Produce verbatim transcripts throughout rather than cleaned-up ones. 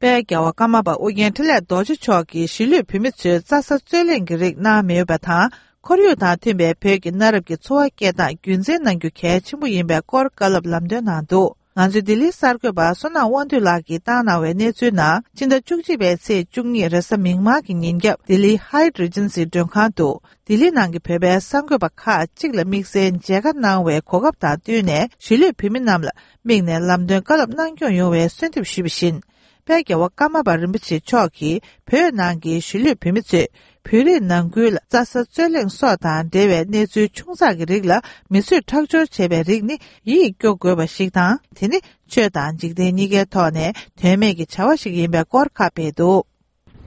དཔལ་རྒྱལ་བ་ཀརྨ་པ་ཨོ་རྒྱན་འཕྲིན་ལས་རྡོ་རྗེ་མཆོག་གིས་གཞིས་ལུས་བོད་མི་ཚོས་རྩྭ་ས་རྩོད་གླེང་གི་རིགས་གནང་མེད་པ་དང་། ཁོར་ཡུག་དང་མཐུན་པའི་བོད་ཀྱི་གནའ་རབས་ཀྱི་འཚོ་བ་སྐྱེལ་སྟངས་རྒྱུན་འཛིན་གནང་རྒྱུ་གལ་ཆེན་པོ་ཡིན་པའི་སྐོར་བཀའ་སློབ་ལམ་སྟོན་གནང་འདུག་ང་ཚོའི་ལྡི་ལིའི་གསར་འགོད་པ་བསོད་ནམས་དབང་འདུས་ལགས་ཀྱིས་བཏང་གནང་བའི་གནས་ཚུལ་ནང་། ཕྱི་ཟླ་བཅུ་གཅིག་པའི་ཚེས་བཅུ་གཉིས་རེས་གཟའ་མིག་དམར་གྱི་ཉིན་རྒྱབ་ལྡི་ལིའི་Hyatt Regency་མགྲོན་ཁང་དུ། ལྡི་ལི་ནང་གི་བོད་པའི་གསར་འགོད་པ་ཁག་ཅིག་ལ་དམིགས་བསལ་མཇལ་ཁ་གནང་བའི་གོ་སྐབས་དང་བསྟུན་ནས། གཞིས་ལུས་བོད་མི་རྣམས་ལ་དམིགས་ནས་ལམ་སྟོན་བཀའ་སློབ་གནང་སྐྱོང་ཡོང་བའི་གསོལ་འདེབས་ཞུས་པ་བཞིན། དཔལ་རྒྱལ་བ་ཀརྨ་པ་རིན་པོ་ཆེ་མཆོག་གིས་བོད་ནང་གི་གཞིས་ལུས་བོད་མི་ཚོས་བོད་རིགས་ནང་ཁུལ་ལ་རྩྭ་ས་རྩོད་གླེང་སོགས་དང་འབྲེལ་བའི་གནས་ཚུལ་ཆུང་ཙག་གི་རིགས་ལ་མི་གསོད་ཁྲག་སྦྱོར་བྱས་པའི་རིགས་ནི་ཡིད་སྐྱོ་དགོས་པ་ཞིག་དང་། དེ་ནི་ཆོས་དང་འཇིག་རྟེན་གཉིས་ཀའི་ཐོག་ནས་དོན་མེད་ཀྱི་བྱ་བ་ཞིག་ཡིན་པའི་སྐོར་ཁ་སྤེལ་འདུག་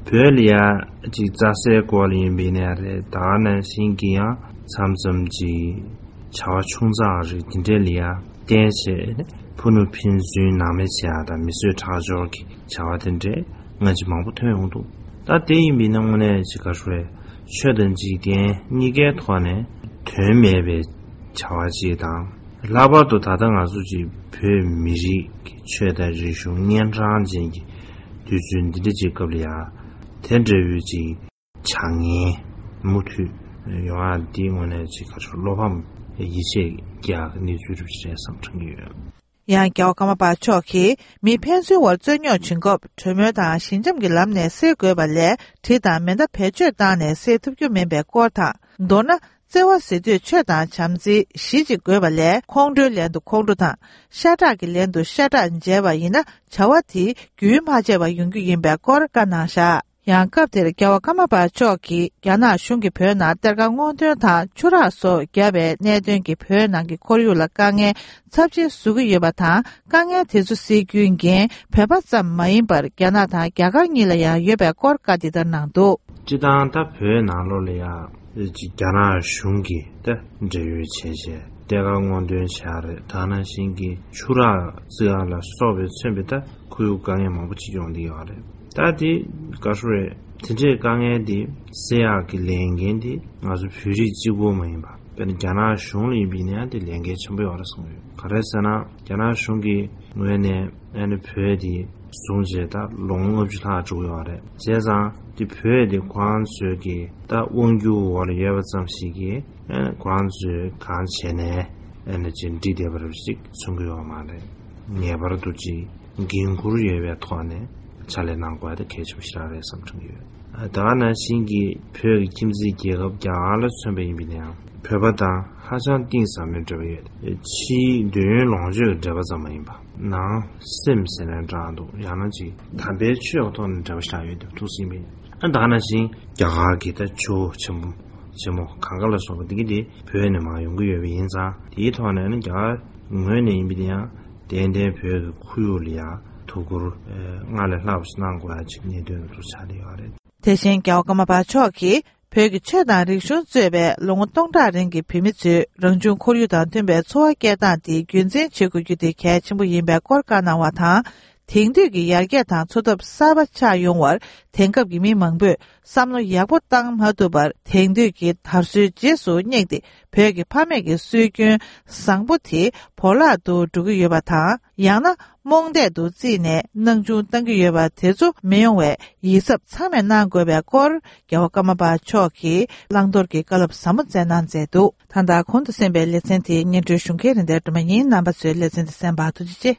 བོད་ལ་ཡ་ཅིག་རྩྭ་སའི་སྐོར་ལ་ཡིན་པའི་ནས་རེད། ད་ག་ནང་བཞིན་གྱི་ཡང་མཚམས་མཚམས་ཅིག་བྱ་བ་ཆུང་ཙག་རིགས་དེ་འདྲས་ལ་ཡ་བརྟེན་བྱས་ཕུ་ནུ་ཕན་ཚུན་ནང་མི་བྱེད་ཡ་དང་མི་གསོད་ཁྲག་སྦྱོར་གྱི་བྱ་བ་དེ་འདྲས་སྔ་ཕྱི་མང་པོ་ཐོན་ཡོང་འདུག་ད་དེ་ཡིན་པའི་ནང་དངོས་གནས་ཅིག་ག་རེ་ཆོས་དང་འཇིག་རྟེན་གཉིས་ཀའི་ཐོག་ནས་དོན་མེད་པའི་བྱ་བ་ཅིག་དང་། ལྷག་པར་དུ་ད་ལྟ་ང་ཚོ་ཅིག་བོད་མི་རིགས་ཀྱི་ཆོས་དང་རིག་གཞུང་གཉན་འཕྲང་ཅན་གྱི་དུས་ཚོད་འདི་འདྲ་ཅིག་སྐབས་ལ་ཡ་དེ་འདྲ་བའི་ཅིག་བྱ་ངན་མུ་མཐུད་ཡོང་ཡ་འདི་དངོས་གནས་ཅིག་ག་ཚོད་བློ་ཕམ་ཡིད་ཆེས་རྒྱག་གི་གནས་ཚུལ་རེད་བསམ་དྲན་གྱི་ཡོད། ཡང་རྒྱལ་བ་ཀརྨ་པ་མཆོག་གིས་མི་ཕན་ཚུན་བར་རྩོད་རྙོག་བྱུང་སྐབས་གྲོས་མོལ་དང་ཞི་འཇམ་གྱི་ལམ་ནས་སེལ་དགོས་པ་ལས་གྲི་དང་མེ་མདའ་བེད་སྤྱོད་བཏང་ནས་སེལ་ཐུབ་རྒྱུ་མིན་པའི་སྐོར་དང་། མདོར་ན། བརྩེ་བ་ཟེར་དུས་ཆོས་དང་བྱམས་བརྩེའི་གཞི་གཅིག་དགོས་པ་ལས་ཁོང་ཁྲོའི་ལན་དུ་ཁོང་ཁྲོ་དང་། ཤ་ཁྲག་གི་ལན་དུ་ཤ་ཁྲག་འཇལ་བ་ཡིན་ན་བྱ་བ་དེ་རྒྱུན་མ་ཆད་པར་ཡོང་རྒྱུ་ཡིན་པའི་སྐོར་བཀའ་གནང་བཞག་ཡང་སྐབས་དེར་རྒྱལ་བ་ཀརྨ་པ་མཆོག་གིས་རྒྱ་ནག་གཞུང་གིས་བོད་ནང་གཏེར་ཁ་སྔོག་འདོན་དང་ཆུ་རགས་སོགས་བརྒྱབ་པའི་གནད་དོན་གྱིས་བོད་ནང་གི་ཁོར་ཡུག་ལ་དཀའ་ངལ་ཚབས་ཆེན་བཟོ་གི་ཡོད་པ་དང་། དཀའ་ངལ་དེ་ཚོ་སེལ་རྒྱུའི་འགན་བོད་པ་ཙམ་མ་ཡིན་པར་རྒྱ་ནག་དང་རྒྱ་གར་གཉིས་ལ་ཡང་ཡོད་པའི་སྐོར་བཀའ་འདི་ལྟར་གནང་འདུག་སྤྱི་བཏང་ད་བོད་ནང་ལོགས་ལ་ཡང་ཅིག་རྒྱ་ནག་གཞུང་གིས་ད་འབྲེལ་ཡོད་བྱས་བྱས་གཏེར་ཁ་སྔོག་འདོན་བྱས་རེད། ད་ནང་བཞིན་གྱི་ཆུ་རགས་བརྩིགས་ཡ་ལ་སོགས་པའི་མཚོན་པའི་ད་ཁོར་ཡུག་དཀའ་ངལ་མང་པོ་ཅིག་ཡོང་བསྡད་ཡོད་རེད། ད་དེ་ག་རེ་རེད། དེ་འདྲའི་དཀའ་ངལ་དེ་སེལ་ཡག་གི་ལས་འགན་དེ་ང་ཚོ་བོད་རིགས་གཅིག་པོ་མ་ཡིན་པ། དཔེར་ན་རྒྱ་ནག་གཞུང་ལ་ཡིན་པ་ཡིན་ན་ཡང་དེ་ལས་འགན་ཆེན་པོ་ཡོད་རེད་བསམ་གྱི་ཡོད། ག་རེ་ཟེར་ན་རྒྱ་ནག་གཞུང་གི་ངོས་ནས་ཨ་ནི་བོད་དེ་བཟུང་བྱས་ད་ལོ་ངོ་ལྔ་བཅུ་ལྷག་འགྲོ་གི་ཡོད་རེད། བྱས་ཙང་དེ་བོད་དེ་ཁོ་རང་ཚོའི་གི་ད་དབང་སྒྱུར་འོག་ལ་ཡོད་པ་ཙམ་ཞིག་གིས་ཨ་ནི་ཁོ་རང་ཚོས་གང་བྱས་ནས་ཨ་ནི་ཅིག་འགྲིག་བསྡད་པ་རེད་ཅིག་མཚོན་གི་ཡོད་མ་རེད། ངེས་པར་དུ་ཅིག་འགན་འཁུར་ཡོད་པའི་ཐོག་ནས་ཕྱག་ལས་གནང་དགོས་ཡ་དེ་གལ་ཆེན་པོ་ཞེ་དྲག་རེད་བསམ་དྲན་གྱི་ཡོད། ད་ག་ནང་བཞིན་གྱི་བོད་ཀྱི་ཁྱིམ་མཚེས་རྒྱལ་ཁབ་རྒྱ་གར་ལ་མཚོན་པ་ཡིན་པ་ཡིན་ན་ཡང་བོད་པ་དང་ཧ་ཅང་གཏིང་ཟབ་མོའི་འབྲེལ་བ་ཡོད། ཕྱིའི་འདོད་ཡོན་ལོངས་སྤྱོད་ཀྱི་འབྲེལ་བ་ཙམ་མ་ཡིན་པ་ནང་སེམས་ཟེར་ན་འདྲ་འདུག་ཡང་ན་ཅིག་དམ་པའི་ཆོས་ཀྱི་ཐོག་ནས་འབྲེལ་བ་ཞིག་ཡོད་པ་ཐུགས་སྲིད་པས། ཨ་ད་ག་ནང་བཞིན་རྒྱ་གར་གྱི་ད་ཇོ་བོ་ཆེན་པོ་ཆེན་མོ་གངས་དཀར་ལ་སོགས་པ་འདི་གི་དེ་བོད་ནས་མར་ཡོང་གི་ཡོད་པ་ཡིན་ཙང་དེའི་ཐོག་ནས་ནི་རྒྱ་གར་ངོས་ནས་ཡིན་པ་དེ་ཡང་ཏན་ཏན་བོད་ཀྱི་ཁོར་ཡུག་ལ་ཡང་ཐུགས་ཁུར་སྔར་ལས་ལྷག་པ་ཞིག་གནང་དགོས་ཡ་ཅིག་གནད་དོན་དུ་ཆགས་བསྡད་ཡོད་རེད། དེ་བཞིན་རྒྱལ་བ་ཀརྨ་པ་མཆོག་གིས་བོད་ཀྱི་ཆོས་དང་རིག་གཞུང་གཙོས་པའི་ལོ་ངོ་སྟོང་ཕྲག་རིང་གི་བོད་མི་ཚོས་རང་བྱུང་ཁོར་ཡུག་དང་མཐུན་པའི་འཚོ་བ་སྐྱེལ་སྟངས་དེ་རྒྱུན་འཛིན་བྱེད་དགོས་རྒྱུ་དེ་གལ་ཆེན་པོ་ཡིན་པའི་སྐོར་བཀའ་གནང་བ་དང་། དེང་དུས་ཀྱི་ཡར་རྒྱས་དང་འཚོ་ཐབས་གསར་པ་ཆགས་ཡོང་བར་དེང་སྐབས་ཀྱི་མི་མང་པོས་བསམ་བློ་ཡག་པོ་བཏང་མ་ཐུབ་པར་དེང་དུས་ཀྱི་དར་སྲོལ་རྗེས་སུ་བསྙེགས་ཏེ་བོད་ཀྱི་ཕ་མེས་ཀྱི་སྲོལ་རྒྱུན་བཟང་པོ་དེ་བོར་བརླག་ཏུ་འགྲོ་གི་ཡོད་པ་དང་། ཡང་ན་རྨོངས་དད་དུ་བརྩིས་ནས་སྣང་ཆུང་བཏང་གི་ཡོད་པ་དེ་ཚོ་མི་ཡོང་བའི་ཡིད་གཟབ་ཚང་མས་གནང་དགོས་པའི་སྐོར་རྒྱལ་བ་ཀརྨ་པ་མཆོག་གིས་བླང་དོར་གྱི་བཀའ་སློབ་ཟབ་མོ་སྩལ་གནང་མཛད་འདུག་ད་ལྟ་གོང་དུ་གསན་པའི་ལེ་ཚན་དེ་སྙན་སྒྲོན་ཞུ་མཁན་རིན་ལྡན་སྒྲོལ་མ་ཡིན། རྣམ་པ་ཚོས་ལེ་ཚན་འདི་གསན་པར་ཐུགས་རྗེ་ཆེ།